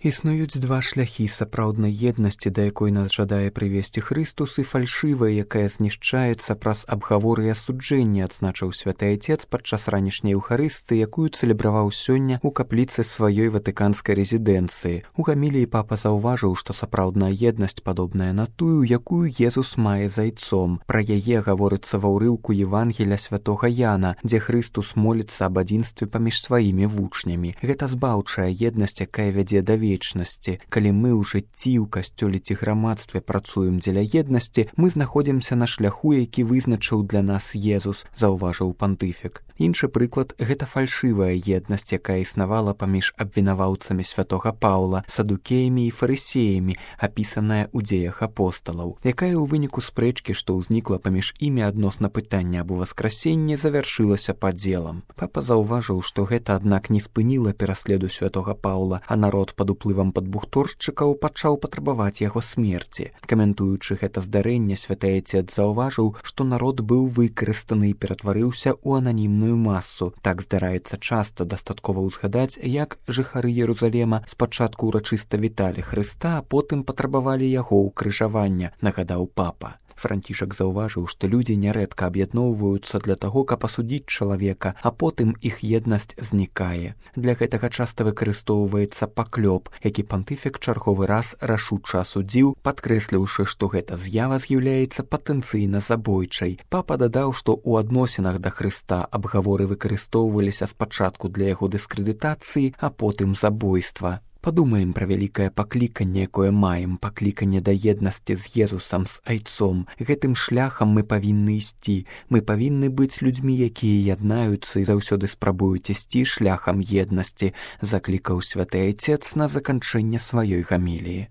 Існуюць два шляхі сапраўднай еднасці, да якой нас жадае прывесці Хрыстус, і фальшывая, якая знішчаецца праз абгаворы і асуджэнне, адзначыў святы Айцец падчас ранішняй Еўхарысты, якую цэлебраваў сёння ў капліцы сваёй ватыканскай рэзідэнцыі. У гаміліі папа заўважыў, што сапраўдная еднасць падобная на тую, якую Езус мае з Айцом. Пра яе гаворыцца ва ўрыўку Евангеля святога Яна, дзе Хрыстус моліцца аб адзінстве паміж сваімі вучнямі. Гэта збаўчая еднасць, якая вядзе да вечнасці. Калі мы ў жыцці, ў касцёле ці грамадстве працуем дзеля еднасці, мы знаходзімся на шляху, які вызначыў для нас Езус, заўважыў пантыфік. Іншы прыклад – гэта фальшывая еднасць, якая існавала паміж абвінаваўцамі святога Паўла, садукеямі і фарысеямі, апісаная ў дзеях апосталаў, якая ў выніку спрэчкі, што ўзнікла паміж імі адносна пытання аб уваскрасенні, завяршылася падзелам. Папа заўважыў, што гэта, аднак, не спыніла пераследу святога Паўла, а народ пад уплывам падбухторшчыкаў пачаў патрабаваць яго смерці. Каментуючы гэта здарэнне, святы Айцец заўважыў, што народ быў выкарыстаны і ператварыўся ў ананімную масу. Так здараецца часта, дастаткова ўзгадаць, як жыхары Ерусалема спачатку ўрачыста віталі Хрыста, а потым патрабавалі яго ўкрыжавання, нагадаў папа. Францішак заўважыў, што людзі нярэдка аб'ядноўваюцца для таго, каб асудзіць чалавека, а потым іх еднасць знікае. Для гэтага часта выкарыстоўваецца паклёп, які пантыфік чарговы раз рашуча асудзіў, падкрэсліўшы, што гэта з'ява з'яўляецца патэнцыйна забойчай. Папа дадаў, што ў адносінах да Хрыста абгаворы выкарыстоўваліся спачатку для яго дыскрэдытацыі, а потым забойства. Падумаем пра вялікае пакліканне, якое маем, пакліканне да еднасці з Езусам, з Айцом. Гэтым шляхам мы павінны ісці. Мы павінны быць людзьмі, якія яднаюцца і заўсёды спрабуюць ісці шляхам еднасці, заклікаў святы Айцец на заканчэнне сваёй гаміліі.